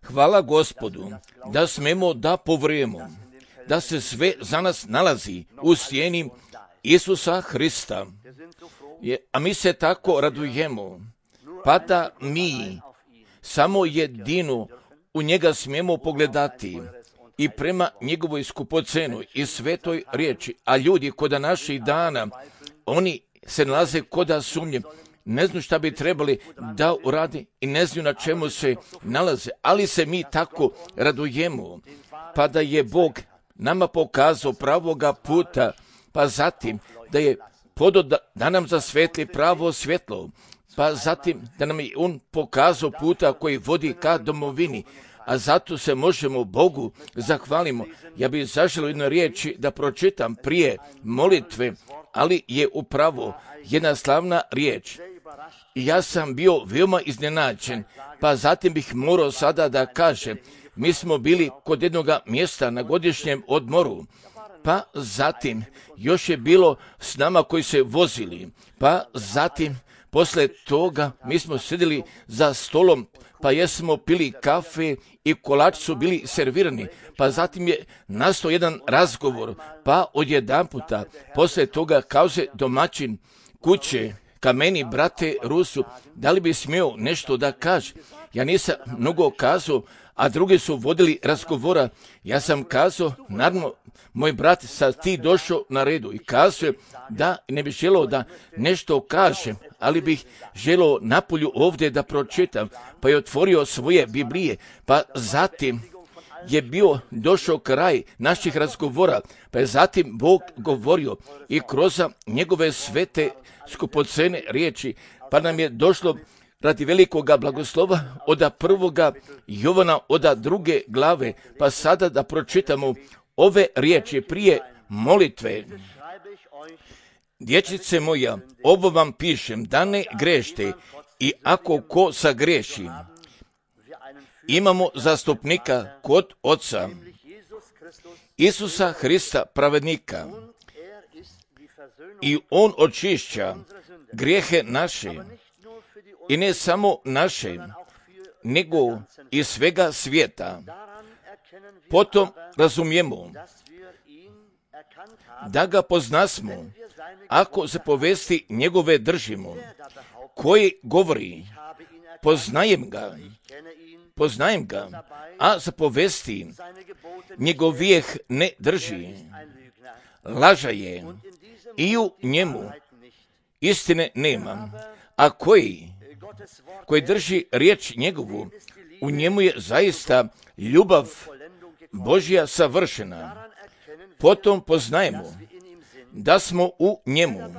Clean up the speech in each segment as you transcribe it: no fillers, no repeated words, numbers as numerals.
Hvala Gospodu da smemo da povrujemo, da se sve za nas nalazi u sjeni Isusa Hrista. A mi se tako radujemo, pa da mi samo jedino u njega smijemo pogledati i prema njegovoj skupocenoj i svetoj riječi. A ljudi koda naših dana, oni se nalaze koda sumnje, ne znaju šta bi trebali da uradi i ne znaju na čemu se nalaze, ali se mi tako radujemo, pa da je Bog nama pokazao pravoga puta, pa zatim da je da nam zasvetli pravo svjetlo, pa zatim da nam je On pokazao puta koji vodi ka domovini, a zato se možemo Bogu zahvalimo. Ja bih zaželio jednu riječi da pročitam prije molitve, ali je upravo jedna slavna riječ. I ja sam bio veoma iznenađen, pa zatim bih morao sada da kažem, mi smo bili kod jednog mjesta na godišnjem odmoru, pa zatim još je bilo s nama koji se vozili, pa zatim posle toga mi smo sjedili za stolom, pa jesmo pili kafe i kolači su bili servirani, pa zatim je nastao jedan razgovor, pa odjedanputa posle toga kaže domaćin kuće ka meni, brate Rusu, da li bi smio nešto da kaže? Ja nisam mnogo kazao, a drugi su vodili razgovora. Ja sam kazao, naravno, moj brat, sad ti došao na redu i kazao da ne bih želeo da nešto kažem, ali bih želeo napolju ovdje da pročitam, pa je otvorio svoje Biblije, pa zatim je došao kraj naših razgovora, pa je zatim Bog govorio i kroz njegove svete skupocene riječi, pa nam je došlo radi velikoga blagoslova od 1. Jovana od 2. glave, pa sada da pročitamo ove riječi prije molitve. Dječice moja, ovo vam pišem, da ne grešte, i ako ko sagreši, imamo zastupnika kod Oca, Isusa Hrista pravednika, i On očišća grijehe naše, i ne samo naše, nego i svega svijeta. Potom razumijemo da ga poznasmo, ako zapovesti njegove držimo, koji govori, poznajem ga, a zapovesti njegovijeh ne drži, laža je, i u njemu istine nema, a koji drži riječ njegovu, u njemu je zaista ljubav Božja savršena. Potom poznajemo da smo u njemu,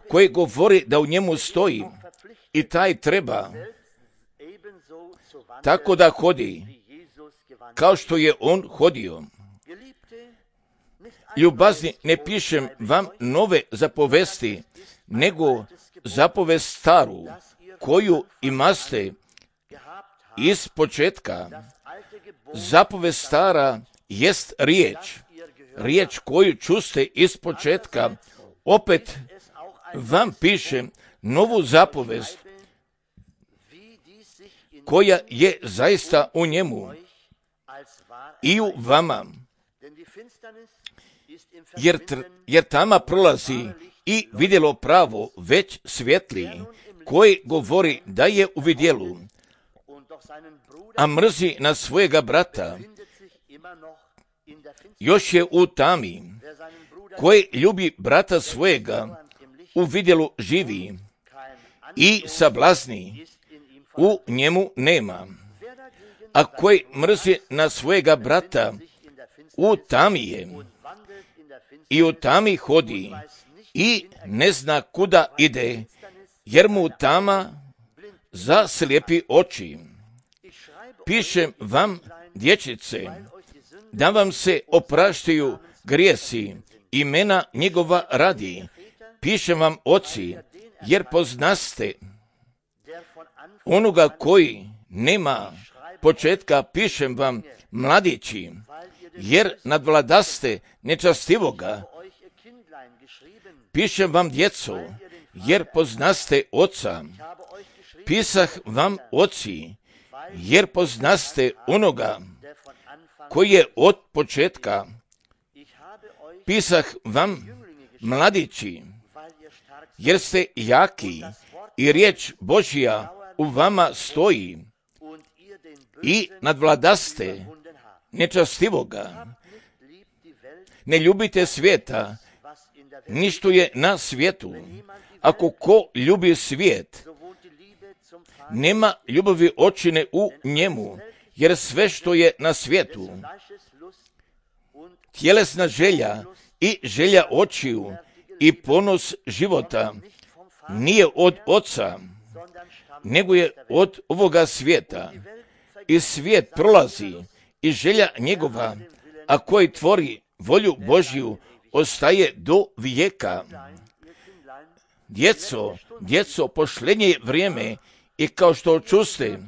koji govori da u njemu stoji, i taj treba tako da hodi, kao što je on hodio. Ljubazni, ne pišem vam nove zapovesti, nego zapovest staru, koju imaste iz početka. Zapovest stara jest riječ koju čuste iz početka. Opet vam pišem novu zapovest, koja je zaista u njemu i u vama, jer tama prolazi i vidjelo pravo već svjetli, koji govori da je u vidjelu, a mrzi na svojega brata, još je u tami. Koji ljubi brata svojega, u vidjelu živi, i sablazni u njemu nema. A koji mrzi na svojega brata, u tami je, i u tami hodi, i ne zna kuda ide, jer mu tama zaslijepi oči. Pišem vam, dječice, da vam se opraštaju grijesi, imena njegova radi. Pišem vam, oci, jer poznaste onoga koji nema početka. Pišem vam, mladići, jer nadvladaste nečastivoga. Pišem vam, djeco, jer poznaste Oca. pisah vam, oci, jer poznaste onoga koji je od početka. Pisah vam, mladići, jer ste jaki i riječ Božja u vama stoji i nadvladaste nečastivoga. Ne ljubite svijeta, ni što je na svijetu. Ako ko ljubi svijet, nema ljubavi očine u njemu, jer sve što je na svijetu, tjelesna želja i želja očiju i ponos života, nije od Oca, nego je od ovoga svijeta. I svijet prolazi i želja njegova, a koji tvori volju Božju, ostaje do vijeka. Djeco, posljednje je vrijeme i kao što čuste,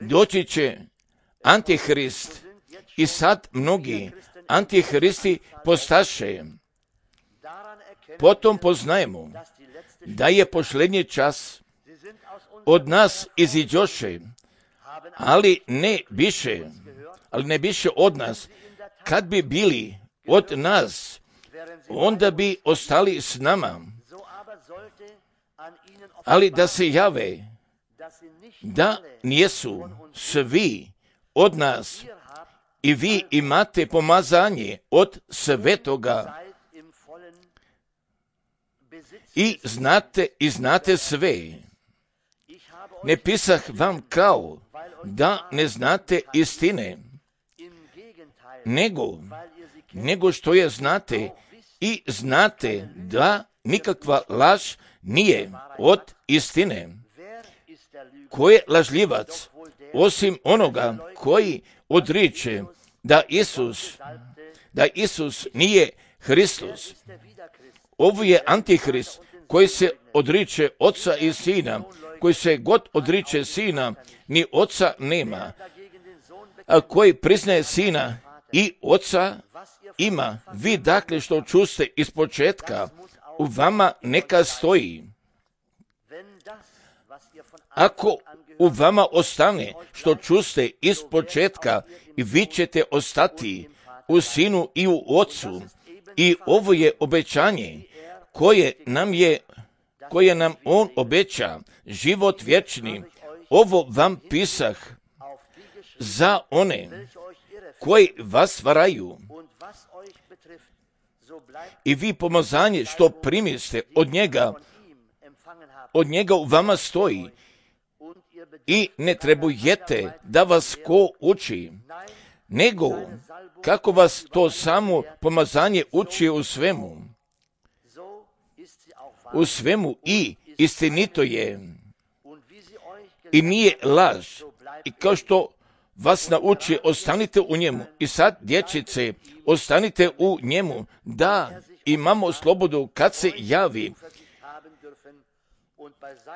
doći će Antihrist i sad mnogi Antihristi postaše. Potom poznajemo da je posljednji čas. Od nas iziđoše, ali ne biše od nas. Kad bi bili od nas, onda bi ostali s nama. Ali da se jave, da nijesu svi od nas, i vi imate pomazanje od Svetoga i znate sve. Ne pisah vam kao da ne znate istine, nego što je znate i znate da nikakva laž nije od istine. Ko je lažljivac, osim onoga koji odriče da Isus nije Hristos? Ovo je Antihrist koji se odriče Oca i Sina. Koji se god odriče Sina, ni Oca nema. A koji priznaje Sina i Oca ima. Vi dakle što čuste iz početka, u vama neka stoji. Ako u vama ostane što čuste iz početka, i vi ćete ostati u Sinu i u Ocu. I ovo je obećanje koje nam On obeća, život vječni. Ovo vam pisah za one koji vas varaju. I vi pomazanje što primiste od njega u vama stoji. I ne trebujete da vas ko uči, nego kako vas to samo pomazanje uči u svemu i istinito je i nije laž. I kao što vas nauči, ostanite u njemu. I sad, dječice, ostanite u njemu, da imamo slobodu kad se javi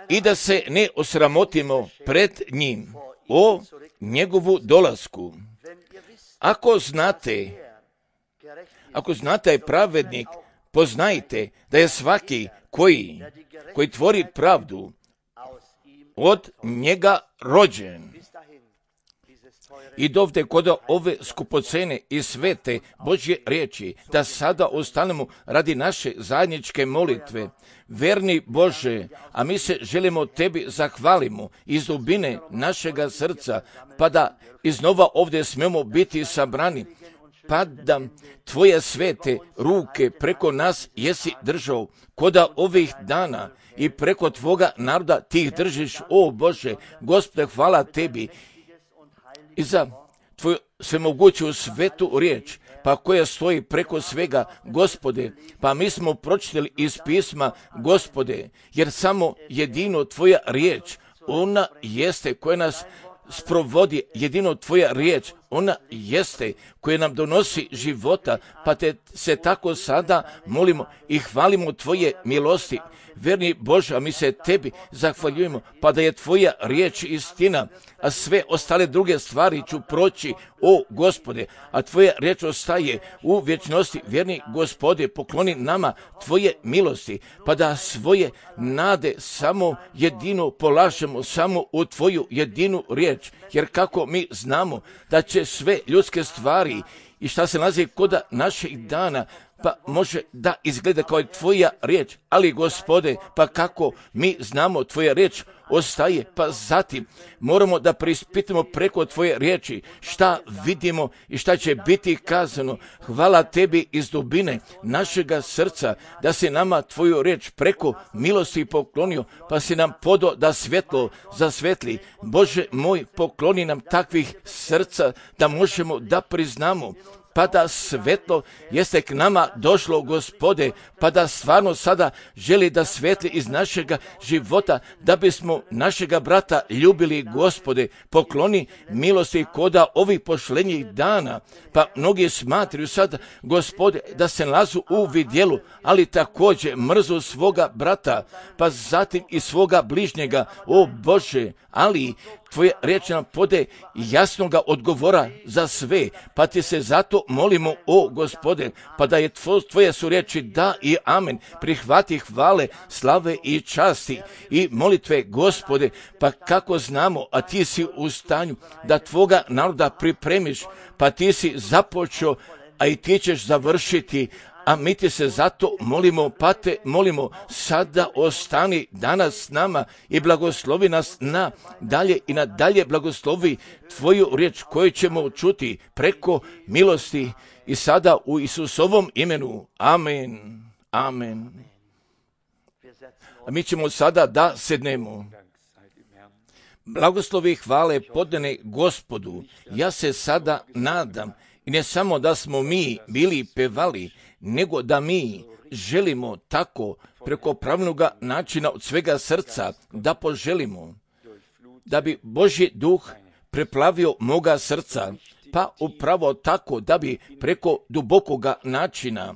i da se ne osramotimo pred njim o njegovu dolasku. Ako znate je pravednik, poznajte da je svaki koji tvori pravdu od njega rođen. I dovde kod ove skupocene i svete Božje riječi, da sada ostanemo radi naše zajedničke molitve. Verni Bože, a mi se želimo Tebi zahvalimo iz dubine našega srca, pa da iznova ovdje smemo biti sabrani, pa da Tvoje svete ruke preko nas jesi držao koda ovih dana i preko Tvoga naroda Ti ih držiš, o Bože. Gospode, hvala Tebi i za Tvoju svemoguću svetu riječ, pa koja stoji preko svega, Gospode. Pa mi smo pročitali iz pisma, Gospode, jer samo jedino Tvoja riječ, ona jeste koja nas sprovodi, jedino Tvoja riječ, ona jeste koja nam donosi života, pa te se tako sada molimo i hvalimo Tvoje milosti. Verni Bože, a mi se Tebi zahvaljujemo, pa da je Tvoja riječ istina, a sve ostale druge stvari ću proći, o Gospode, a Tvoja riječ ostaje u vječnosti. Verni Gospode, pokloni nama Tvoje milosti, pa da svoje nade samo jedino polažemo samo u Tvoju jedinu riječ, jer kako mi znamo da će sve ljudske stvari i šta se nalazi kod naših dana, pa može da izgleda kao Tvoja riječ, ali Gospode, pa kako mi znamo Tvoja riječ ostaje, pa zatim moramo da preispitamo preko Tvoje riječi šta vidimo i šta će biti kazano. Hvala Tebi iz dubine našega srca da si nama Tvoju riječ preko milosti poklonio, pa si nam podo da svjetlo zasvetli. Bože moj, pokloni nam takvih srca da možemo da priznamo, pa da svetlo jeste k nama došlo, Gospode, pa da stvarno sada želi da svetli iz našega života, da bismo našega brata ljubili, Gospode. Pokloni milosti koda ovih pošlenjih dana, pa mnogi smatraju sad, Gospode, da se nalazu u vidjelu, ali također mrzu svoga brata, pa zatim i svoga bližnjega, o Bože, ali Tvoja riječ nam pode jasnoga odgovora za sve, pa ti se zato molimo, o Gospode, pa da je Tvoje su riječi da i amen, prihvati hvale, slave i časti i molitve, Gospode, pa kako znamo, a ti si u stanju da Tvoga naroda pripremiš, pa ti si započeo, a i ti ćeš završiti, a mi ti se zato molimo, pa te molimo, sada ostani danas s nama i blagoslovi nas na dalje i na dalje blagoslovi Tvoju riječ koju ćemo čuti preko milosti i sada u Isusovom imenu. Amen. Amen. A mi ćemo sada da sednemo. Blagoslovi hvale podane Gospodu. Ja se sada nadam, i ne samo da smo mi bili pevali, nego da mi želimo tako preko pravilnoga načina od svega srca da poželimo, da bi Božji duh preplavio moga srca, pa upravo tako da bi preko dubokoga načina,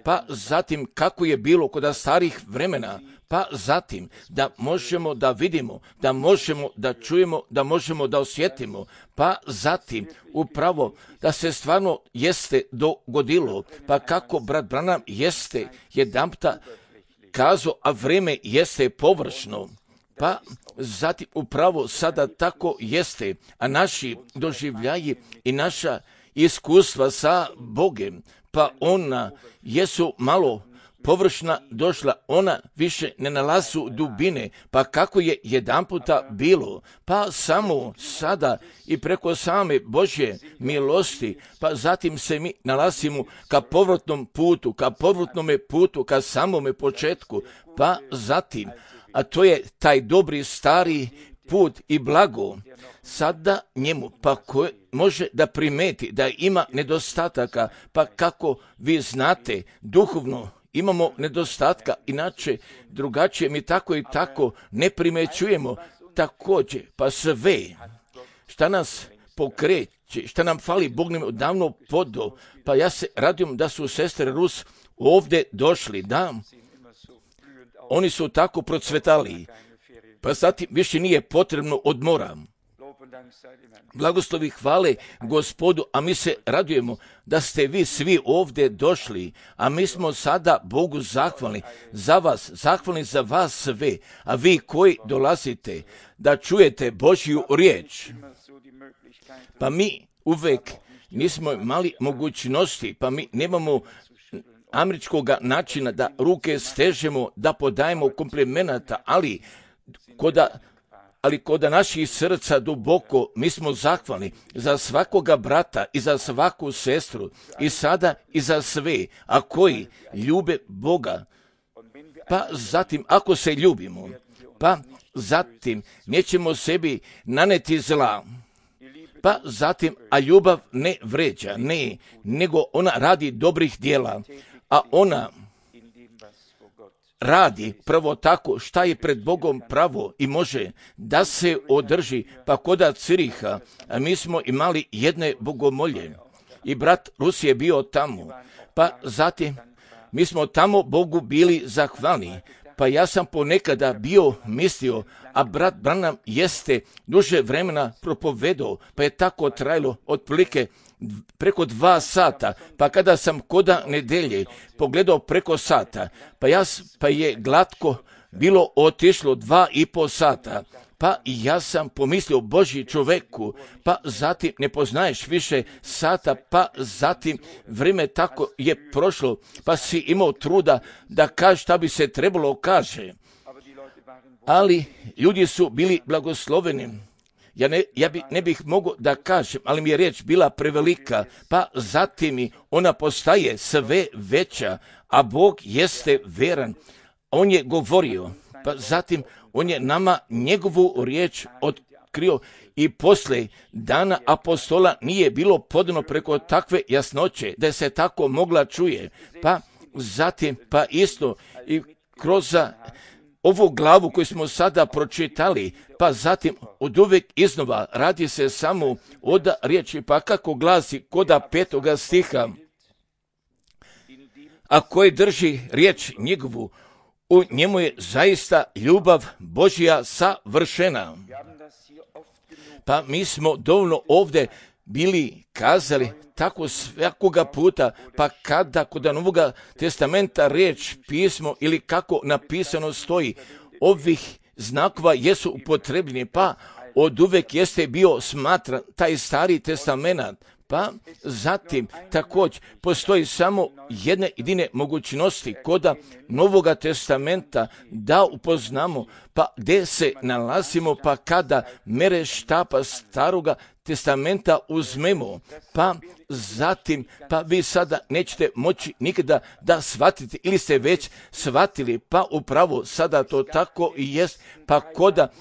pa zatim kako je bilo kod starih vremena, pa zatim da možemo da vidimo, da možemo da čujemo, da možemo da osjetimo, pa zatim upravo da se stvarno jeste dogodilo, pa kako brat Branham jeste jedanputa kazao, a vreme jeste površno, pa zatim upravo sada tako jeste, a naši doživljaji i naša iskustva sa Bogem, pa ona jesu malo površna došla, ona više ne nalazu dubine, pa kako je jedanputa bilo, pa samo sada i preko same Božje milosti, pa zatim se mi nalazimo ka povratnom putu, ka samome početku, pa zatim, a to je taj dobri stari put i blago, sada njemu, pa ko može da primeti da ima nedostataka, pa kako vi znate, duhovno imamo nedostatka, inače drugačije mi tako i tako ne primećujemo također, pa sve šta nas pokreće, šta nam fali, Bog nam odavno podo, pa ja se radujem da su sestre Rus ovdje došli, da, oni su tako procvetali, pa zatim više nije potrebno odmora. Blagoslovi hvale Gospodu, a mi se radujemo da ste vi svi ovdje došli, a mi smo sada Bogu zahvalni za vas, zahvalni za vas sve, a vi koji dolazite da čujete Božju riječ, pa mi uvek nismo imali mogućnosti, pa mi nemamo američkog načina da ruke stežemo, da podajemo komplimenata, ali kod naših srca duboko mi smo zahvalni za svakoga brata i za svaku sestru i sada i za sve, a koji ljube Boga. Pa zatim, ako se ljubimo, pa zatim nećemo sebi naneti zla. Pa zatim, a ljubav ne vređa, ne, nego ona radi dobrih djela, a ona radi pravo tako šta je pred Bogom pravo i može da se održi, pa koda Ciriha, a mi smo imali jedne bogomolje i brat Rus je bio tamo, pa zatim mi smo tamo Bogu bili zahvalni, pa ja sam ponekada bio mislio, a brat Branham jeste duže vremena propovedao, pa je tako trajalo otprilike preko 2 sata, pa kada sam koda nedelje pogledao preko sata, pa je glatko bilo otišlo 2,5 sata, pa i ja sam pomislio Božji čoveku, pa zatim ne poznaješ više sata, pa zatim vrijeme tako je prošlo, pa si imao truda da kažeš šta bi se trebalo kaže. Ali ljudi su bili blagosloveni. Ja ne bih mogao da kažem, ali mi je riječ bila prevelika, pa zatim ona postaje sve veća, a Bog jeste veran. On je govorio, pa zatim on je nama njegovu riječ otkrio i poslije dana apostola nije bilo podano preko takve jasnoće da se tako mogla čuje. Pa zatim, pa isto i kroz ovu glavu koju smo sada pročitali, pa zatim od uvijek iznova radi se samo od riječi, pa kako glasi koda 5. stiha, a koji drži riječ njegovu, u njemu je zaista ljubav Božja savršena. Pa mi smo dovoljno ovdje bili kazali tako svakoga puta, pa kada kod Novoga testamenta riječ, pismo ili kako napisano stoji, ovih znakova jesu upotrebljeni, pa od uvijek jeste bio smatran taj stari testament. Pa zatim također postoji samo jedne jedine mogućnosti koda Novoga testamenta da upoznamo, pa gdje se nalazimo, pa kada mere štapa staroga testamenta uzmemo, pa zatim, pa vi sada nećete moći nikada da shvatite ili ste već shvatili, pa upravo sada to tako i jest, pa koda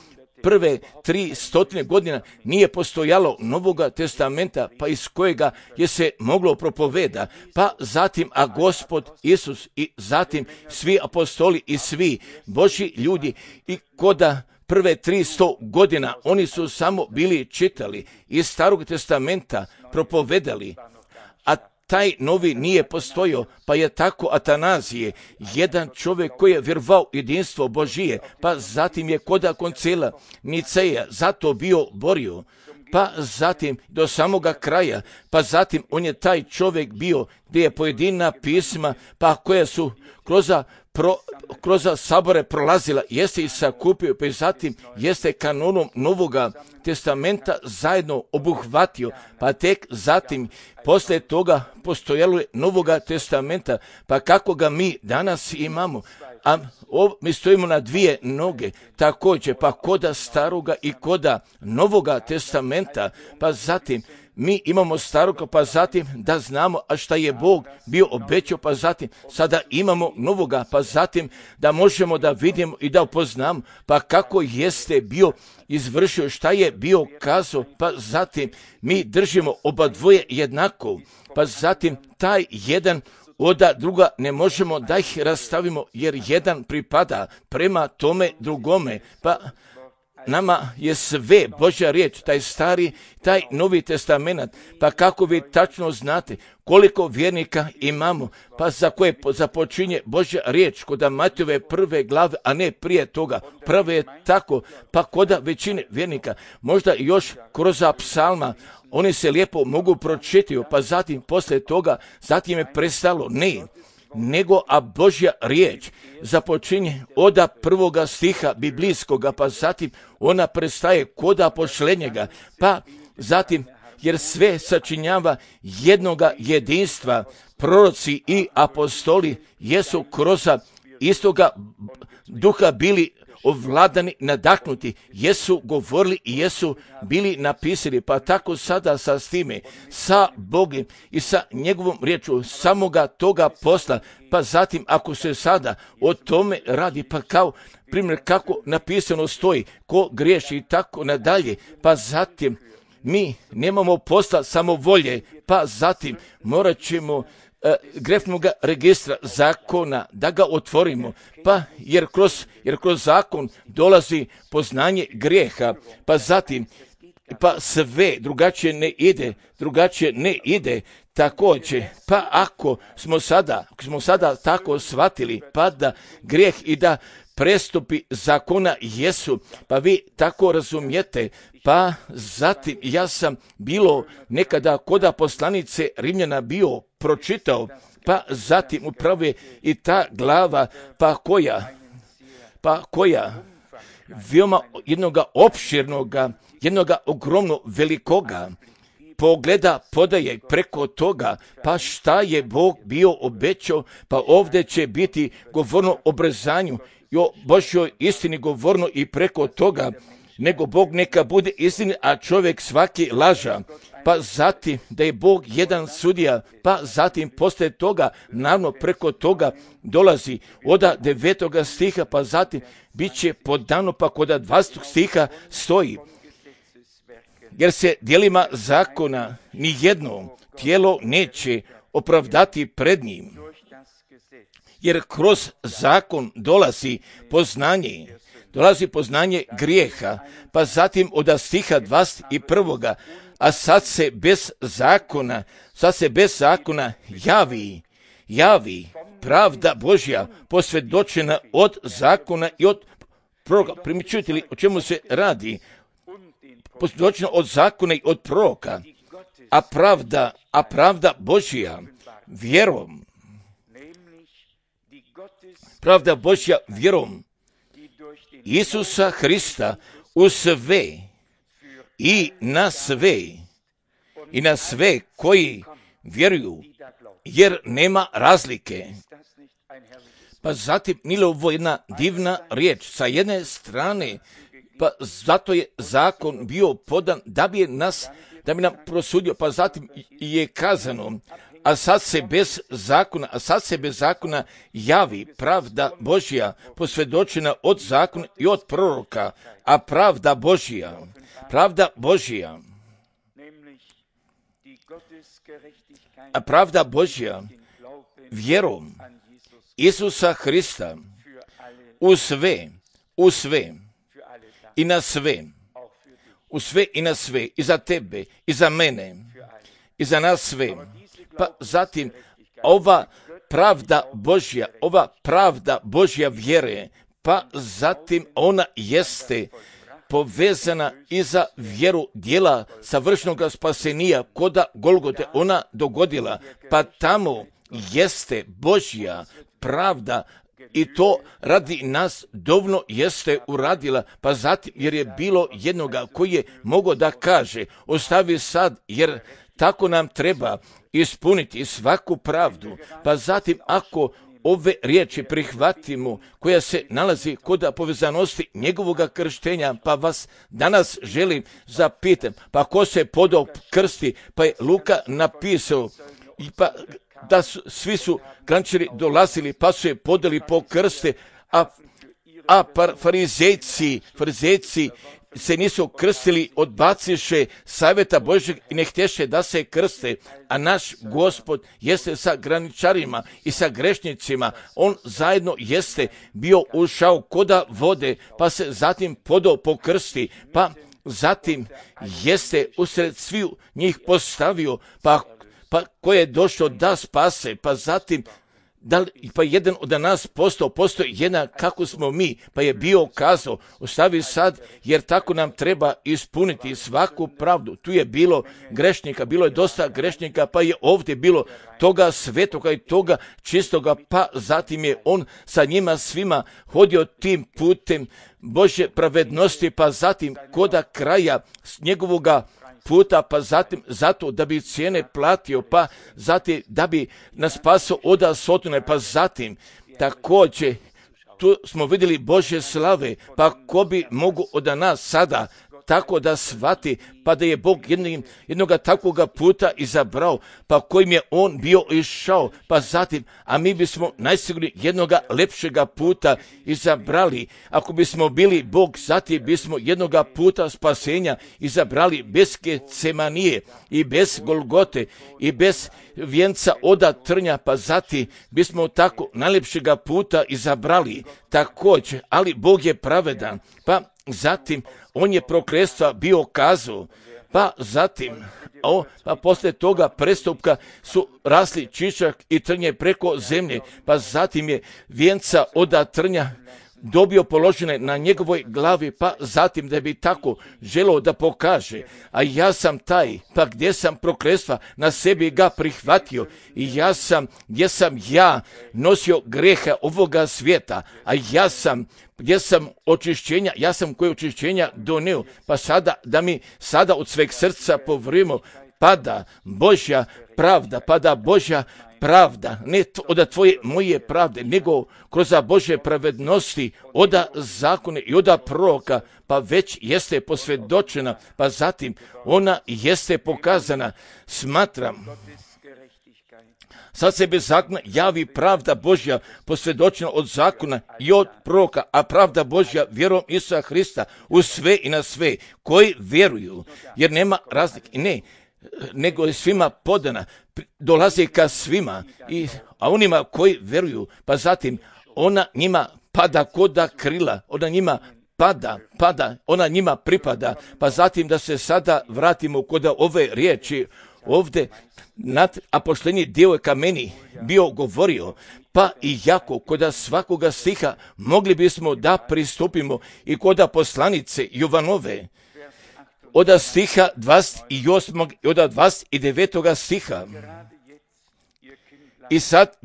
prve 300 godina nije postojalo Novoga testamenta, pa iz kojega je se moglo propoveda, pa zatim, a Gospod Isus i zatim svi apostoli i svi Božji ljudi i koda prve 300 godina oni su samo bili čitali iz Starog testamenta, propovedali, a taj novi nije postojao, pa je tako Atanazije, jedan čovjek koji je vjerovao jedinstvo Božije, pa zatim je koda koncila Niceja zato bio borio, pa zatim do samoga kraja, pa zatim on je taj čovjek bio gdje je pojedina pisma, pa koja su kroz sabore prolazila, jeste i sakupio, pa zatim jeste kanonom Novoga testamenta zajedno obuhvatio, pa tek zatim poslije toga postojalo je Novoga testamenta, pa kako ga mi danas imamo, a mi stojimo na 2 noge, također, pa koda staroga i koda Novoga testamenta, pa zatim mi imamo staroga, pa zatim da znamo a šta je Bog bio obećao, pa zatim sada imamo novoga, pa zatim da možemo da vidimo i da upoznamo, pa kako jeste bio izvršio, šta je bio kazao, pa zatim mi držimo oba dvoje jednako, pa zatim taj jedan od druga ne možemo da ih rastavimo, jer jedan pripada prema tome drugome, pa nama je sve Božja riječ, taj stari, taj novi testament, pa kako vi tačno znate koliko vjernika imamo, pa za koje započinje Božja riječ kod Matejove 1. glave, a ne prije toga. Prvo je tako, pa kod većine vjernika, možda još kroz psalma, oni se lijepo mogu pročitati, pa zatim poslije toga, zatim je prestalo, ne, nego a Božja riječ započinje od 1. stiha biblijskoga, pa zatim ona prestaje koda pošlenjega, pa zatim jer sve sačinjava jednoga jedinstva, proroci i apostoli jesu kroz istoga duha bili ovladani, nadahnuti, jesu govorili i jesu bili napisali, pa tako sada sa time, sa Bogom i sa njegovom riječu samoga toga posla, pa zatim ako se sada o tome radi, pa kao primjer kako napisano stoji, ko griješi i tako nadalje, pa zatim mi nemamo posla samovolje, pa zatim morat ćemo grefnog registra zakona, da ga otvorimo, pa jer kroz zakon dolazi poznanje grijeha, pa zatim pa sve drugačije ne ide također, pa ako smo sada tako shvatili, pa da grijeh i da prestupi zakona jesu, pa vi tako razumijete, pa zatim ja sam bilo nekada kod poslanice Rimljana bio pročitao, pa zatim upravo je i ta glava, pa koja veoma jednoga opširnoga, jednoga ogromno velikoga pogleda podaje preko toga, pa šta je Bog bio obećao, pa ovdje će biti govorno o obrezanju i o Božjoj istini govorno i preko toga, nego Bog neka bude istini, a čovjek svaki laža. Pa zatim da je Bog jedan sudija, pa zatim poslije toga, naravno preko toga dolazi od 9. stiha, pa zatim bit će podano, pa kod 20. stiha stoji. Jer se djelima zakona ni jedno tijelo neće opravdati pred njim. Jer kroz zakon dolazi poznanje grijeha, pa zatim od stiha 21. A sad se bez zakona javi pravda Božja posvjedočena od zakona i od proroka. Primjećujete li o čemu se radi? Posvjedočena od zakona i od proroka, a pravda Božja vjerom. Pravda Božja vjerom Isusa Hrista u sve i na sve koji vjeruju, jer nema razlike. Pa zatim, nije li ovo jedna divna riječ? Sa jedne strane, pa zato je zakon bio podan da bi nam prosudio, pa zatim je kazano, a sad se bez zakona javi pravda Božja posvjedočena od zakona i od proroka, a pravda Božja vjerom Isusa Hrista u sve i na sve, i za tebe, i za mene, i za nas sve. Pa zatim ova pravda Božja vjere, pa zatim ona jeste povezana i za vjeru dijela savršenog spasenija koda Golgote ona dogodila, pa tamo jeste Božja pravda i to radi nas dovoljno jeste uradila, pa zatim jer je bilo jednoga koji je mogao da kaže ostavi sad jer tako nam treba ispuniti svaku pravdu, pa zatim ako ove riječi prihvatimo koja se nalazi kod povezanosti njegovoga krštenja, pa vas danas želim zapitati, pa ko se podao krsti, pa je Luka napisao, pa da svi su krančari dolazili, pa su je podali po krste, a farizejci se nisu krstili, odbaciše savjeta Božjeg i ne htješe da se krste, a naš Gospod jeste sa graničarima i sa grešnicima, on zajedno jeste bio ušao koda vode, pa se zatim podao po krsti, pa zatim jeste usred sviju njih postavio, pa ko je došao da spase, pa zatim pa jedan od nas postoji jedan kako smo mi, pa je bio kazao, ostavi sad, jer tako nam treba ispuniti svaku pravdu. Tu je bilo grešnika, bilo je dosta grešnika, pa je ovdje bilo toga svetoga i toga čistoga, pa zatim je on sa njima svima hodio tim putem Božje pravednosti, pa zatim koda kraja njegovoga puta, pa zatim zato da bi cijene platio, pa zatim da bi nas spasao od sotone, pa zatim također tu smo vidjeli Božje slave, pa ko bi mogu od nas sada tako da shvati, pa da je Bog jednoga takvoga puta izabrao, pa kojim je on bio išao, pa zatim, a mi bismo najsigurnije jednoga lepšega puta izabrali. Ako bismo bili Bog, zatim bismo jednoga puta spasenja izabrali bez Getsemanije i bez Golgote i bez vijenca oda trnja, pa zatim bismo tako najlepšega puta izabrali također, ali Bog je pravedan, pa zatim on je prokletstva bio kazao, pa zatim, pa poslije toga prestupka su rasli čičak i trnje preko zemlje, pa zatim je vijenca oda trnja dobio položene na njegovoj glavi, pa zatim da bi tako želio da pokaže, a ja sam taj, pa gdje sam prokletstva na sebi ga prihvatio i gdje sam ja nosio grehe ovoga svijeta, a gdje sam očišćenja, ja sam koje očišćenja donio, pa sada da mi sada od sveg srca povrimo pada Božja pravda, ne od tvoje moje pravde, nego kroz Božje pravednosti, od zakone i od proroka, pa već jeste posvjedočena, pa zatim ona jeste pokazana. Smatram, sad se bez zakona javi pravda Božja posvjedočena od zakona i od proroka, a pravda Božja vjerom Isusa Hrista u sve i na sve koji vjeruju, jer nema razlike, nego je svima podana, dolazi ka svima, a onima koji vjeruju, pa zatim ona njima pada koda krila, ona njima pada, ona njima pripada, pa zatim da se sada vratimo kod ove riječi ovdje, apoštolni dio je ka meni bio govorio, pa i jako kod svakoga stiha mogli bismo da pristupimo i kod poslanice Jovanove, od stiha 28. i od 29. stiha. I sad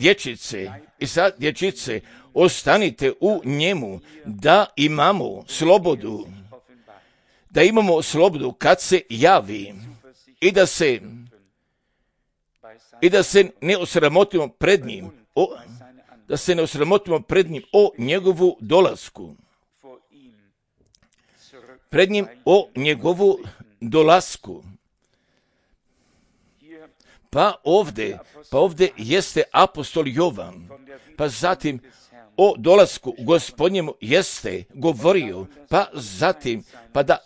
dječice, ostanite u njemu, da imamo slobodu kad se javi i da se ne osramotimo pred njim, o njegovu dolasku. Pred njim o njegovu dolasku. Pa ovdje jeste apostol Jovan, pa zatim o dolasku Gospodnjemu jeste govorio, pa zatim, pa da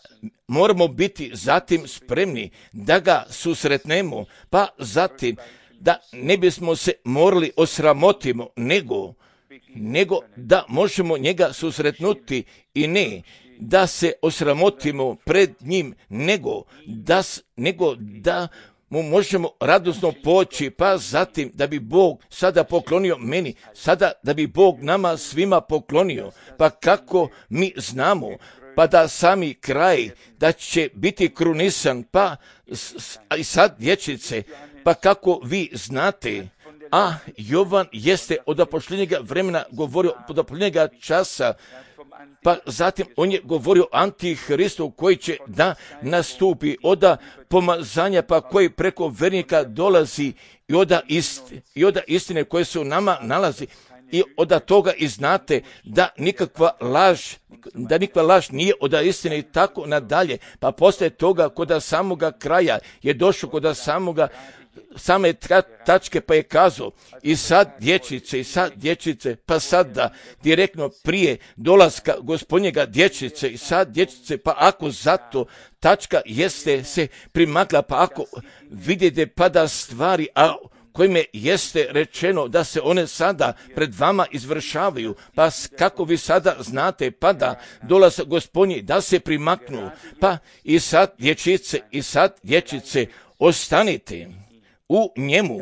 moramo biti zatim spremni da ga susretnemo, pa zatim da ne bismo se morali osramotimo, nego da možemo njega susretnuti i ne da se osramotimo pred njim, nego da mu možemo radosno poći, pa zatim da bi Bog sada poklonio meni, sada da bi Bog nama svima poklonio, pa kako mi znamo, pa da sami kraj, da će biti krunisan, pa i sad dječice, pa kako vi znate, a Jovan jeste od apoštolnjega vremena govorio, od apoštolnjega časa, pa zatim on je govorio Antihristu koji će da nastupi, od pomazanja pa koji preko vernika dolazi i od istine koje se u nama nalazi i od toga i znate da nikakva laž nije od istine i tako nadalje, pa poslije toga kod samoga kraja je došao kod same tačke pa je kazao i sad dječice, pa sad da direktno prije dolaska Gospodnjega dječice i sad dječice, pa ako zato tačka jeste se primakla, pa ako vidite pa da stvari, a kojime jeste rečeno da se one sada pred vama izvršavaju, pa kako vi sada znate, pa da dolazak Gospodnji da se primaknu, pa i sad dječice, ostanite u njemu,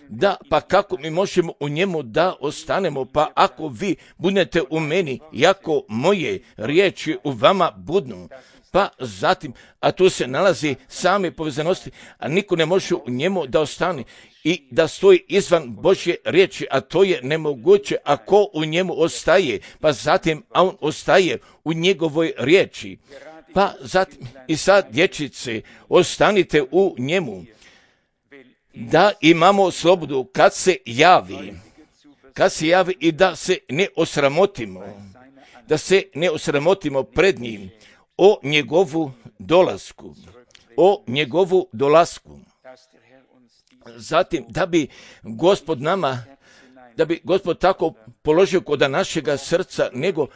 da, pa kako mi možemo u njemu da ostanemo, pa ako vi budete u meni, jako moje riječi u vama budnu, pa zatim, a tu se nalazi same povezanosti, a niko ne može u njemu da ostane i da stoji izvan Božje riječi, a to je nemoguće ako u njemu ostaje, pa zatim, a on ostaje u njegovoj riječi, pa zatim, i sad dječice, ostanite u njemu, da imamo slobodu kad se javi i da se ne osramotimo pred njim, o njegovu dolasku, o njegovu dolasku. Zatim, da bi Gospod tako položio kod našega srca, nego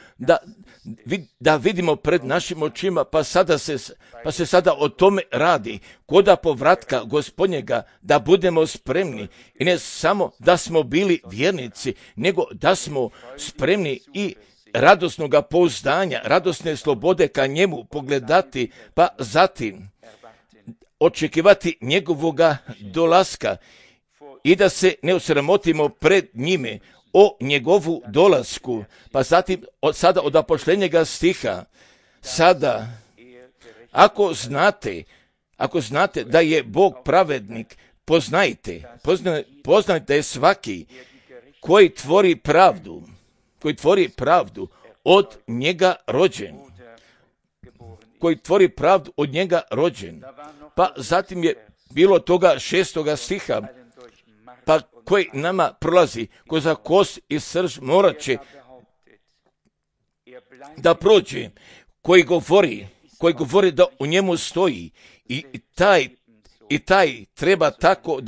da vidimo pred našim očima, pa se sada o tome radi, koda povratka Gospodnjega, da budemo spremni i ne samo da smo bili vjernici, nego da smo spremni i radosnoga pouzdanja, radosne slobode ka njemu pogledati, pa zatim očekivati njegovoga dolaska i da se ne osramotimo pred njime o njegovu dolasku. Pa zatim sada od apoštenjega stiha, sada ako znate da je Bog pravednik, poznajte svaki koji tvori pravdu od njega rođen. Koji tvori pravdu od njega rođen. Pa zatim je bilo toga 6. stiha, pa koji nama prolazi ko za kost i srž morat će da prođe, koji govori da u njemu stoji i taj treba tako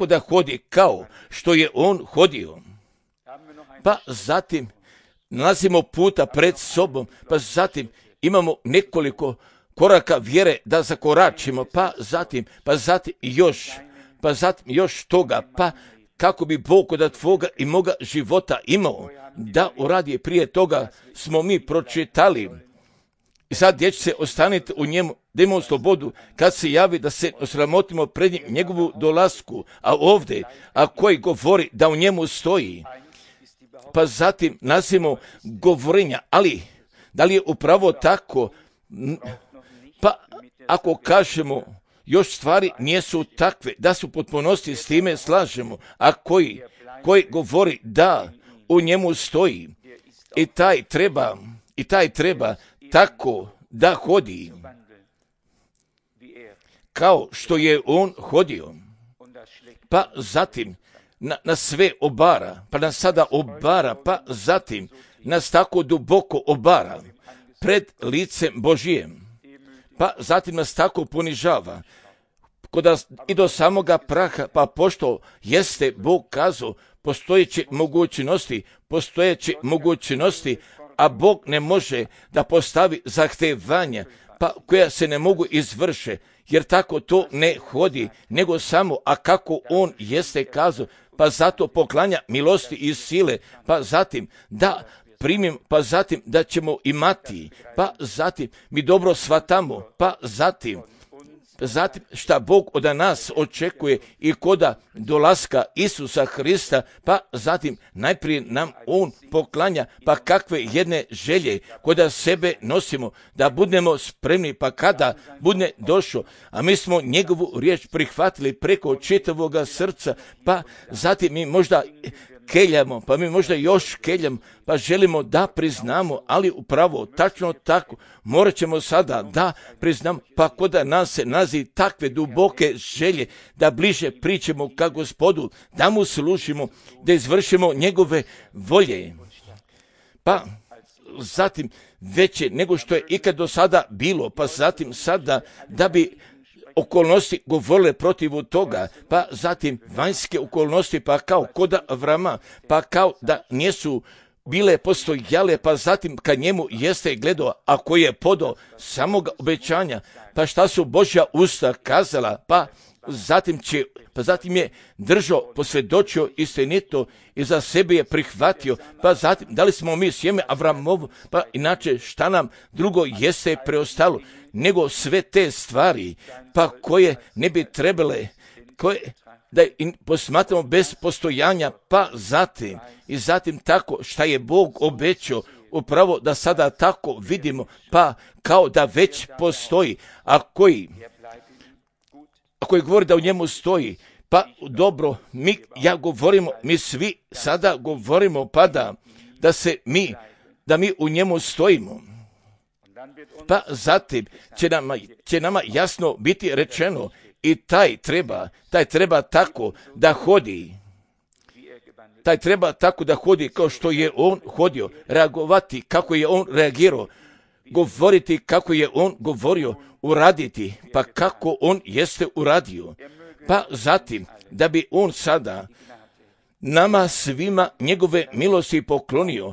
da hodi kao što je on hodio. Pa zatim nalazimo puta pred sobom, pa zatim imamo nekoliko koraka vjere da zakoračimo, pa zatim još toga, pa kako bi Bog od tvoga i moga života imao da uradi. Prije toga smo mi pročitali. I sad, dječce, ostanite u njemu, da imamo slobodu kad se javi, da se osramotimo pred njegovu dolasku, a ovdje, a koji govori da u njemu stoji, pa zatim nazimo govorenja, ali da li je upravo tako? Pa ako kažemo još stvari nisu takve, da su potpunosti s time slažemo, a koji govori da u njemu stoji i taj treba tako da hodi kao što je on hodio. Pa zatim nas sve obara, pa nas sada obara, pa zatim nas tako duboko obara pred licem Božijem. Pa zatim nas tako ponižava i do samoga praha, pa pošto jeste Bog kazao postojeće mogućnosti, a Bog ne može da postavi zahtevanja, pa koja se ne mogu izvrše, jer tako to ne hodi, nego samo, a kako on jeste kazao, pa zato poklanja milosti i sile, pa zatim da primim, pa zatim da ćemo imati, pa zatim mi dobro shvatamo, pa zatim šta Bog od nas očekuje i koda dolaska Isusa Hrista, pa zatim najprije nam on poklanja, pa kakve jedne želje koda sebe nosimo, da budemo spremni, pa kada bude došao, a mi smo njegovu riječ prihvatili preko čitavoga srca, pa zatim mi možda keljamo, pa mi možda još keljamo, pa želimo da priznamo, ali upravo tačno tako morat ćemo sada da priznamo, pa koda nas se nalazi takve duboke želje da bliže pričamo ka Gospodu, da mu služimo, da izvršimo njegove volje. Pa zatim veće nego što je ikad do sada bilo, pa zatim sada da bi okolnosti govorile protiv toga, pa zatim vanjske okolnosti, pa kao kod Avrama, pa kao da nisu bile postojale, pa zatim kad njemu jeste gledao, ako je podao samog obećanja, pa šta su Božja usta kazala, pa zatim je držao, posvjedočio istinito i za sebe je prihvatio, pa zatim da li smo mi sjeme Avramovo, pa inače šta nam drugo jeste preostalo, nego sve te stvari, pa koje ne bi trebale, da posmatramo bez postojanja, pa zatim tako šta je Bog obećao, upravo da sada tako vidimo, pa kao da već postoji, a koji govori da u njemu stoji, pa dobro, mi svi sada govorimo, pa da mi u njemu stojimo. Pa zatim će nama jasno biti rečeno i taj treba tako da hodi. Taj treba tako da hodi kao što je on hodio, reagovati kako je on reagirao, govoriti kako je on govorio, uraditi, pa kako on jeste uradio. Pa zatim, da bi on sada nama svima njegove milosti poklonio,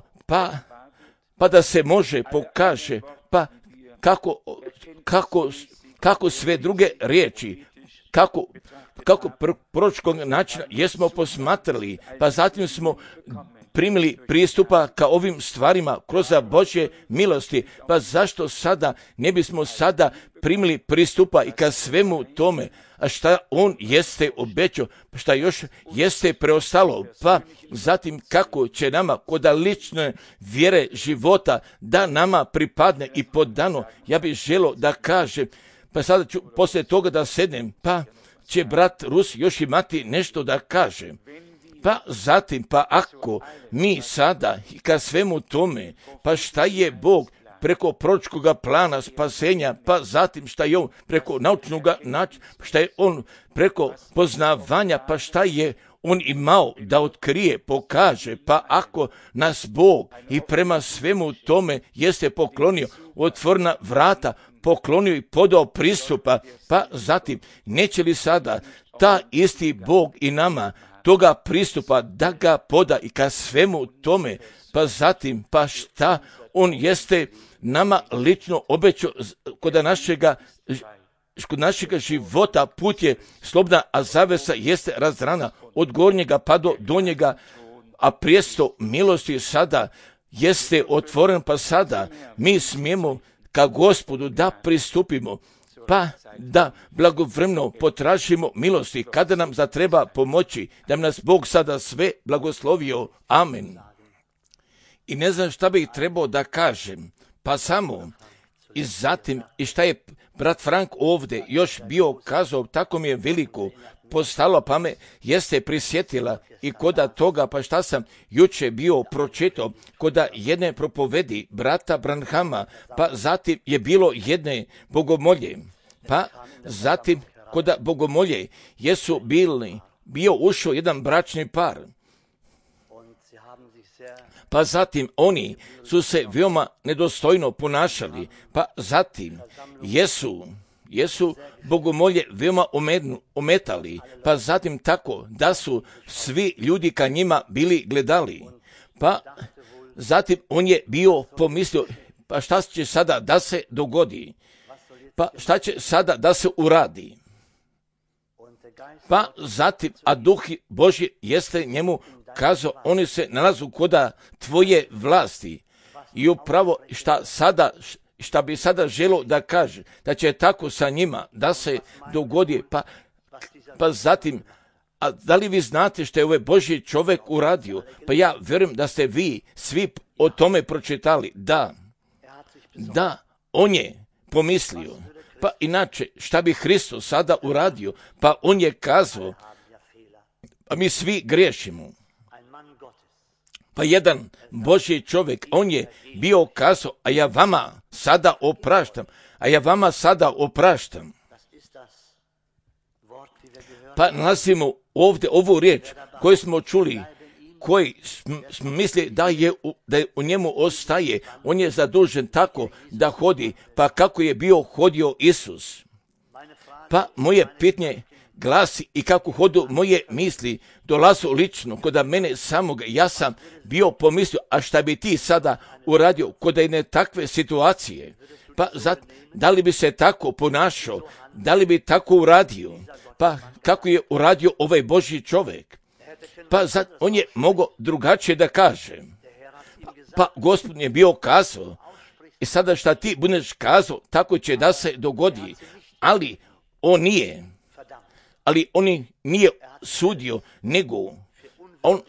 pa da se može pokaže, pa kako sve druge riječi, kako proročkog načina jesmo posmatrali, pa zatim smo primili pristupa ka ovim stvarima kroz Božje milosti, pa zašto sada ne bismo sada primili pristupa i ka svemu tome, a šta on jeste obećao, šta još jeste preostalo, pa zatim kako će nama kod lične vjere života da nama pripadne i podano. Ja bih želio da kažem, pa sada ću poslije toga da sednem, pa će brat Rus još imati nešto da kaže. Pa zatim, pa ako mi sada i ka svemu tome, pa šta je Bog preko proročkoga plana spasenja, pa zatim šta je on preko naučnog načina, šta je on preko poznavanja, pa šta je on imao da otkrije, pokaže, pa ako nas Bog i prema svemu tome jeste poklonio otvorena vrata, poklonio i podao pristupa, pa zatim neće li sada ta isti Bog i nama toga pristupa da ga poda i ka svemu tome, pa zatim, pa šta on jeste nama lično obećao kod našega života, put je slobodna, a zavesa jeste razrana od gornjega pa do donjega, a prijesto milosti sada jeste otvoren, pa sada mi smijemo ka Gospodu da pristupimo, pa da blagovremeno potražimo milosti kada nam zatreba pomoći, da nas Bog sada sve blagoslovio. Amen. I ne znam šta bih trebao da kažem, pa samo i zatim i šta je brat Frank ovdje još bio kazao, tako mi je veliko postalo, pa me jeste prisjetila i koda toga, pa šta sam juče bio pročitao koda jedne propovedi brata Branhama, pa zatim je bilo jedne bogomolje, pa zatim koda bogomolje jesu bio ušao jedan bračni par, pa zatim oni su se veoma nedostojno ponašali, pa zatim jesu bogomolje veoma ometali, pa zatim tako da su svi ljudi ka njima bili gledali, pa zatim on je bio pomislio, pa šta će sada da se dogodi, pa šta će sada da se uradi, pa zatim, a Duh Božji jeste njemu kazao, oni se nalazu koda tvoje vlasti i upravo šta bi sada želo da kaže, da će tako sa njima da se dogodi, pa zatim, a da li vi znate što je ovaj Božji čovjek uradio? Pa ja vjerujem da ste vi svi o tome pročitali. Da, on je pomislio, pa inače šta bi Hristos sada uradio? Pa on je kazao, a mi svi griješimo. Pa jedan Božji čovjek, on je bio kazao, a ja vama sada opraštam. Pa nalazimo ovdje ovu riječ koju smo čuli, koji smo mislili da u njemu ostaje, on je zadužen tako da hodi, pa kako je bio hodio Isus. Pa moje pitanje glasi i kako hodu moje misli dolazu lično kod mene samoga, ja sam bio pomislio, a šta bi ti sada uradio kod jedne takve situacije? Pa da li bi se tako ponašao, da li bi tako uradio? Pa kako je uradio ovaj Božji čovjek? Pa on je mogao drugačije da kaže. Pa Gospod je bio kazao, i sada šta ti budeš kazao, tako će da se dogodi, ali on nije sudio, nego on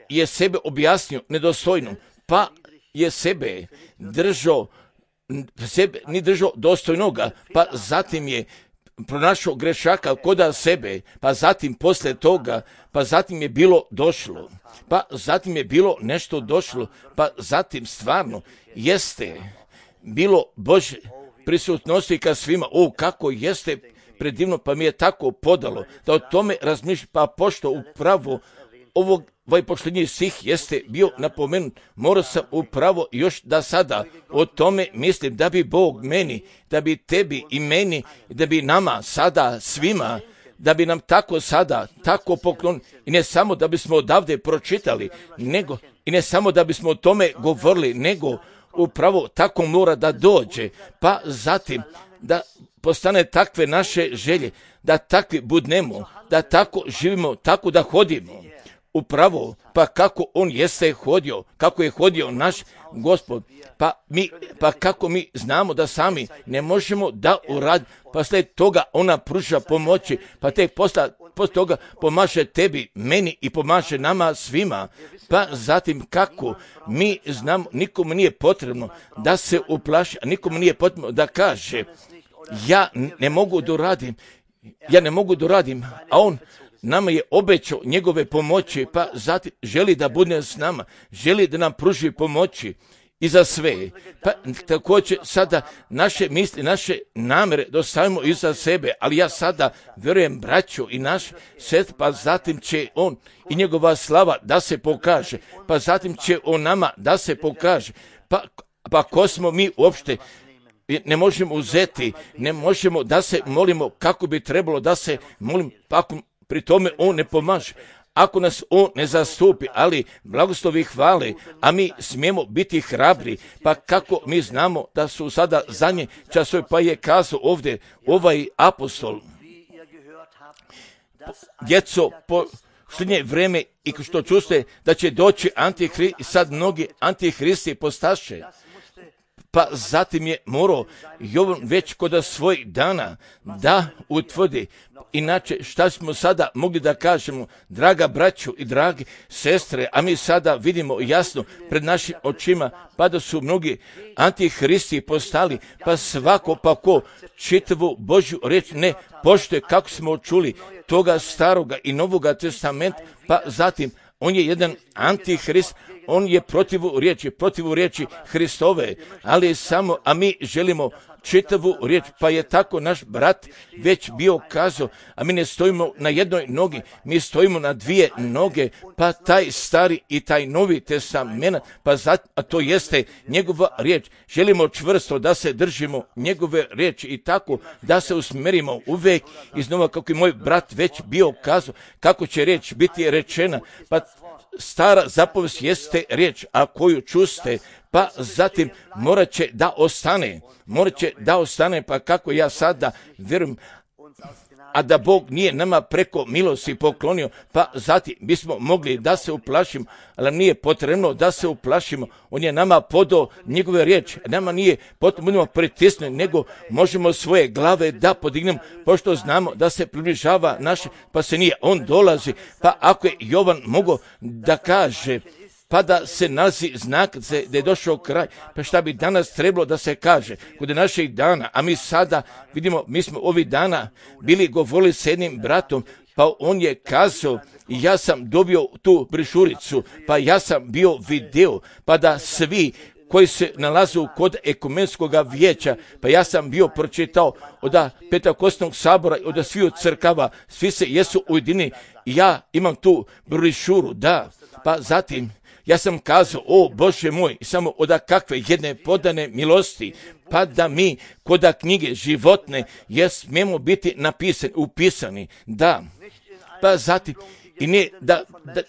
je sebe objasnio nedostojno, pa je sebe ni držao dostojnoga, pa zatim je pronašao grešaka koda sebe, pa zatim posle toga, pa zatim je bilo došlo, pa zatim je bilo nešto došlo, pa zatim stvarno jeste bilo Božje prisutnosti ka svima, kako jeste predivno, pa mi je tako podalo da o tome razmišljam, pa pošto upravo ovog ovaj posljednji stih jeste bio napomenut, morao sam upravo još da sada o tome mislim da bi Bog meni, da bi tebi i meni, da bi nama sada svima, da bi nam tako sada, tako poklon, i ne samo da bismo odavde pročitali, nego i ne samo da bismo o tome govorili, nego upravo tako mora da dođe, pa zatim da postane takve naše želje, da takvi budnemo, da tako živimo, tako da hodimo. Upravo, pa kako on jeste hodio, kako je hodio naš Gospod, pa kako mi znamo da sami ne možemo da uradimo, pa sled toga ona pruža pomoći, pa tek posle toga pomaže tebi, meni i pomaže nama svima. Pa zatim kako mi znamo, nikomu nije potrebno da se uplaši, a nikomu nije potrebno da kaže ja ne mogu da uradim, a on nama je obećao njegove pomoći, pa zatim želi da bude s nama, želi da nam pruži pomoći i za sve. Pa također sada naše misli, naše namere dostavimo iza sebe, ali ja sada vjerujem braću i naš svet, pa zatim će on i njegova slava da se pokaže, pa zatim će on nama da se pokaže. Pa ko smo mi uopšte? Ne možemo uzeti, ne možemo da se molimo kako bi trebalo da se molim, pa pri tome on ne pomaže. Ako nas on ne zastupi, ali blagoslovi hvale, a mi smijemo biti hrabri, pa kako mi znamo da su sada zadnje časove, pa je kazao ovdje ovaj apostol, djeco, posljednje vreme i što čujete da će doći antihrist, i sad mnogi antihristi postaše. Pa zatim je morao Jovan već kod svojih dana da utvrdi. Inače, šta smo sada mogli da kažemo, draga braću i dragi sestre, a mi sada vidimo jasno pred našim očima, pa da su mnogi antihristi postali, pa svako pa ko čitavu Božju riječ ne poštuje, kako smo čuli toga staroga i novoga testamenta, pa zatim on je jedan antihrist, on je protiv riječi Hristove, ali samo, a mi želimo čitavu riječ, pa je tako naš brat već bio kazao, a mi ne stojimo na jednoj nogi, mi stojimo na dvije noge, pa taj stari i taj novi testament, a to jeste njegova riječ. Želimo čvrsto da se držimo njegove riječi i tako da se usmerimo uvijek iznova, kako je moj brat već bio kazao, kako će riječ biti rečena, pa stara zapovijest jeste riječ, a koju čuste, pa zatim morat će da ostane, pa kako ja sada vjerujem, a da Bog nije nama preko milosti poklonio, pa zatim bismo mogli da se uplašimo, ali nije potrebno da se uplašimo, on je nama podao njegove riječi, nama nije potrebno budemo pritisnuti, nego možemo svoje glave da podignemo, pošto znamo da se približava naše, pa se nije, on dolazi, pa ako je Jovan mogao da kaže, pa da se nalazi znak da je došao kraj, pa šta bi danas trebalo da se kaže kod naših dana, a mi sada vidimo, mi smo ovih dana bili govorili s jednim bratom, pa on je kazao, ja sam dobio tu brišuricu, pa ja sam bio video, pa da svi koji se nalazu kod ekumenskog vijeća, pa ja sam bio pročitao od Pentekostnog sabora, od svih crkava, svi se jesu ujedinili, ja imam tu brišuru, da, pa zatim ja sam kazao, o Bože moj, samo od kakve jedne podane milosti, pa da mi kod knjige životne smijemo biti upisani, da, pa zatim, i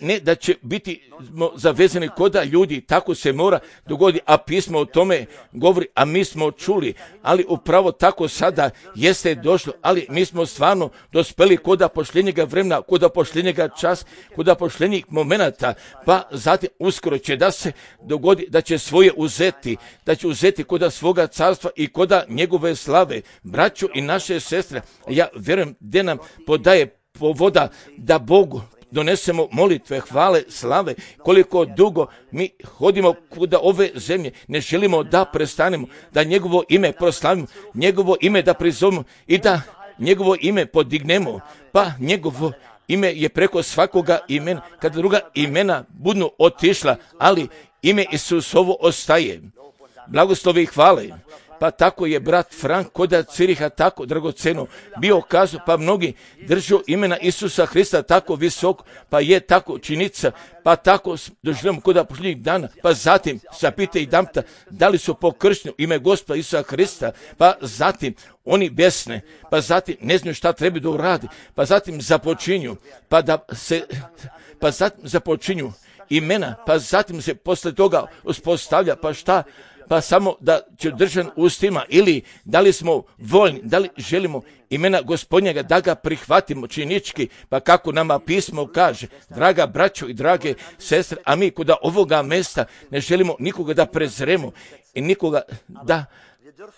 ne da će biti zavezani koda ljudi, tako se mora dogoditi, a pismo o tome govori, a mi smo čuli, ali upravo tako sada jeste došlo, ali mi smo stvarno dospeli koda pošljenjega vremena, koda pošljenjega časa, koda pošljenjih momenata, pa zatim uskoro će da se dogodi da će svoje uzeti, da će uzeti koda svoga carstva i koda njegove slave, braću i naše sestre. Ja vjerujem gdje nam podaje povoda da Bogu donesemo molitve, hvale, slave, koliko dugo mi hodimo kuda ove zemlje, ne želimo da prestanemo, da njegovo ime proslavimo, njegovo ime da prizovemo i da njegovo ime podignemo, pa njegovo ime je preko svakoga imena, kada druga imena budu otišla, ali ime Isusovo ostaje. Blagoslovi i hvale, pa tako je brat Frank kod Ciriha tako dragoceno bio kazao, pa mnogi držu imena Isusa Hrista tako visoko, pa je tako činica, pa tako doživljamo kod posljednjih dana, pa zatim zapite i damta da li su pokršteni u ime Gospoda Isusa Hrista, pa zatim oni besne, pa zatim ne znaju šta treba da uradi, pa zatim započinju, pa zatim započinju imena, pa zatim se posle toga uspostavlja, pa šta, pa samo da će držan ustima, ili da li smo voljni, da li želimo imena Gospodnjega da ga prihvatimo činički, pa kako nama pismo kaže, draga braćo i drage sestre, a mi kod ovoga mesta ne želimo nikoga da prezremo i nikoga da,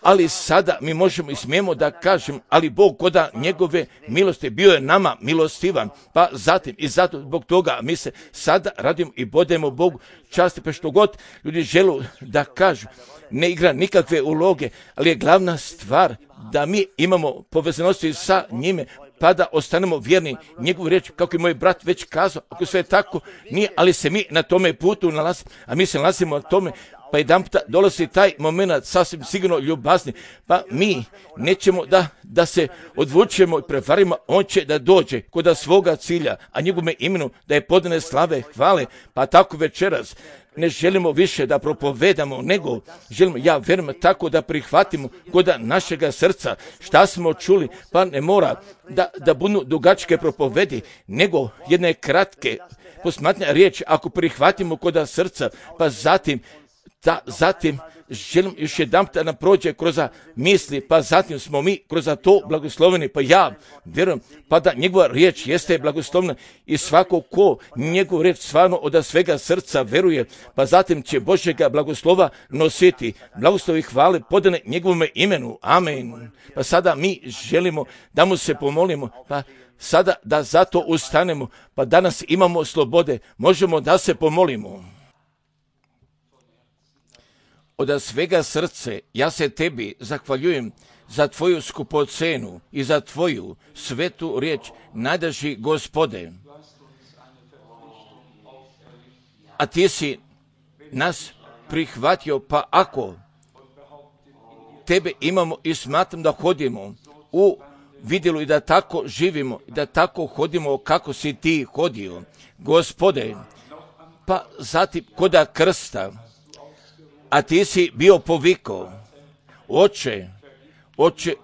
ali sada mi možemo i smijemo da kažem, ali Bog koda njegove milosti bio je nama milostivan, pa zatim i zato zbog toga mi se sada radimo i bodemo Bogu časti, pa što god ljudi žele da kažu, ne igra nikakve uloge, ali je glavna stvar da mi imamo povezanosti sa njime, pa da ostanemo vjerni njegovu riječ, kako je moj brat već kazao, ako sve tako nije, ali se mi na tome putu nalazimo, a mi se nalazimo na tome, pa jedan puta dolazi taj moment sasvim sigurno ljubazni, pa mi nećemo da se odvučemo i prevarimo, on će da dođe kod svoga cilja, a njegovome imenu da je podane slave, hvale, pa tako večeras ne želimo više da propovedamo, nego želimo, ja vjerujem, tako da prihvatimo kod našega srca šta smo čuli, pa ne mora da budu dugačke propovedi, nego jedne kratke posmatne riječi, ako prihvatimo kod srca, pa zatim želim još jedan da nam prođe kroz misli, pa zatim smo mi kroz to blagosloveni, pa ja vjerujem, pa da njegova riječ jeste blagoslovna i svako ko njegovu riječ stvarno od svega srca veruje, pa zatim će Božjega blagoslova nositi, blagoslovi hvale podane njegovome imenu, amen. Pa sada mi želimo da mu se pomolimo, pa sada da zato ustanemo, pa danas imamo slobode, možemo da se pomolimo. Od svega srce ja se tebi zahvaljujem za tvoju skupocenu i za tvoju svetu riječ, najdraži Gospode. A ti si nas prihvatio, pa ako tebe imamo i smatram da hodimo u vidjelu i da tako živimo, da tako hodimo kako si ti hodio, Gospode, pa zatim koda krsta, a ti si bio povikao, Oče,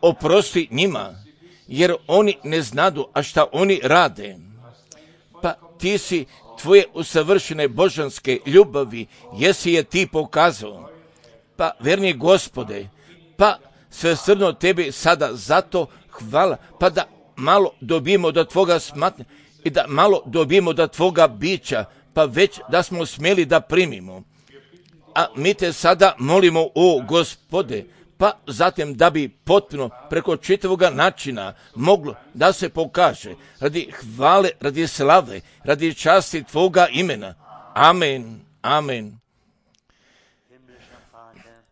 oprosti njima, jer oni ne znadu, a šta oni rade. Pa ti si tvoje usavršene božanske ljubavi, jesi je ti pokazao. Pa verni Gospode, pa svesrdno tebi sada zato hvala, pa da malo dobijemo do tvoga smatnja i da malo dobijemo do tvoga bića, pa već da smo smjeli da primimo. A mi te sada molimo, o Gospode, pa zatim da bi potpuno preko čitavoga načina moglo da se pokaže radi hvale, radi slave, radi časti tvoga imena. Amen, amen.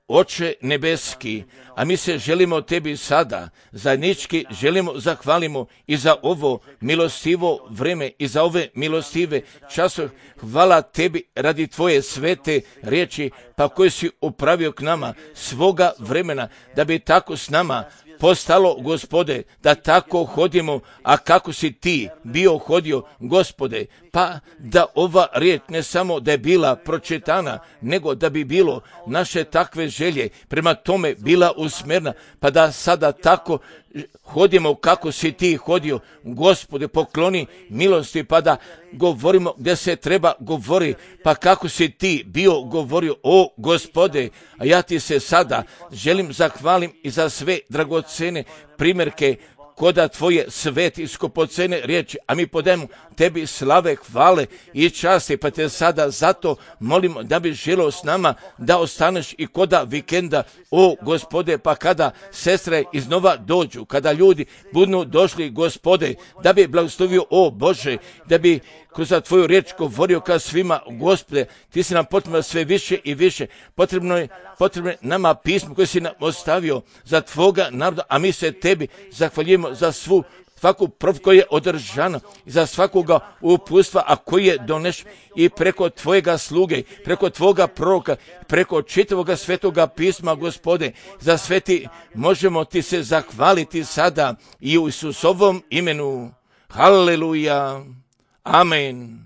Oče nebeski, a mi se želimo tebi sada, zajednički želimo zahvalimo i za ovo milostivo vreme i za ove milostive časove. Hvala tebi radi tvoje svete riječi, pa koje si upravio k nama svoga vremena, da bi tako s nama postalo, Gospode, da tako hodimo, a kako si ti bio hodio, Gospode, pa da ova riječ ne samo da je bila pročitana, nego da bi bilo naše takve želje prema tome bila usmjerna, pa da sada tako hodimo kako si ti hodio, Gospode, pokloni milosti, pa da govorimo gdje se treba govori, pa kako si ti bio govorio, o Gospode, a ja ti se sada želim zahvalim i za sve dragocene primjerke koda tvoje sveti skupocene riječi, a mi podajemo tebi slave, hvale i časti, pa te sada zato molimo da bi želio s nama da ostaneš i koda vikenda, o Gospode, pa kada sestre iznova dođu, kada ljudi budu došli, Gospode, da bi blagoslovio, o Bože, da bi kroz tvoju riječ govorio ka svima, Gospode, ti si nam potrebno sve više i više, potrebno je nama pismo koje si nam ostavio za tvoga naroda, a mi se tebi zahvaljujemo za svu svaku prof koja je održana, za svakoga uputstva, a koji je doneš i preko tvojega sluge, preko tvoga proroka, preko čitavoga svetoga pisma, Gospode, za sve ti možemo ti se zahvaliti sada i u Isusovom imenu. Haleluja. Amen.